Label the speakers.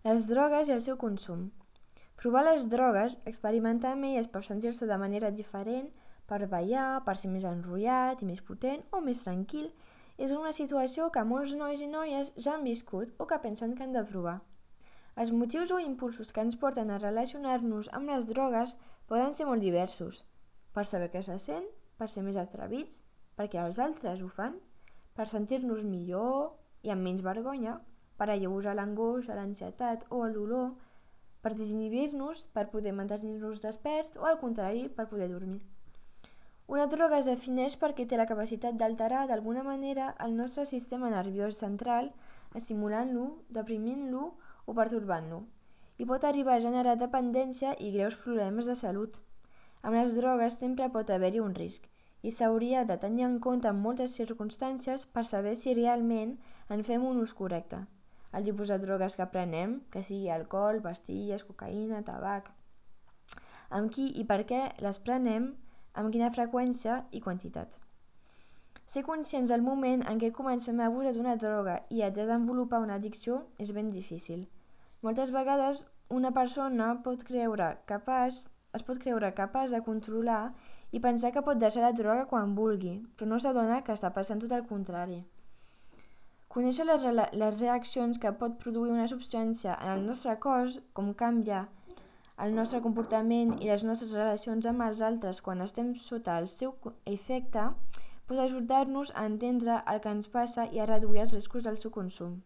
Speaker 1: Les drogues i el seu consum. Provar les drogues, experimentar amb elles per sentir-se de manera diferent, per ballar, per ser més enrotllat i més potent o més tranquil, és una situació que molts nois i noies ja han viscut o que pensen que han de provar. Els motius o impulsos que ens porten a relacionar-nos amb les drogues poden ser molt diversos. Per saber què se sent, per ser més atrevits, perquè els altres ho fan, per sentir-nos millor i amb menys vergonya, per alleujar l'angoixa, l'ansietat o el dolor, per desinhibir-nos, per poder mantenir-nos desperts o al contrari, per poder dormir. Una droga es defineix perquè té la capacitat d'alterar d'alguna manera el nostre sistema nerviós central, estimulant-lo, deprimint-lo o pertorbant-lo, i pot arribar a generar dependència i greus problemes de salut. Amb les drogues sempre pot haver-hi un risc, i s'hauria de tenir en compte en moltes circumstàncies per saber si realment en fem un ús correcte. El tipus de drogues que prenem, que sigui alcohol, pastilles, cocaïna, tabac, amb qui i per què les prenem, amb quina freqüència i quantitat. Ser conscients del moment en què comencem a abusar d'una droga i a desenvolupar una addicció és ben difícil. Moltes vegades una persona es pot creure capaç de controlar i pensar que pot deixar la droga quan vulgui, però no s'adona que està passant tot el contrari. Conèixer les reaccions que pot produir una substància en el nostre cos, com canvia el nostre comportament i les nostres relacions amb els altres quan estem sota el seu efecte, pot ajudar-nos a entendre el que ens passa i a reduir els riscos del seu consum.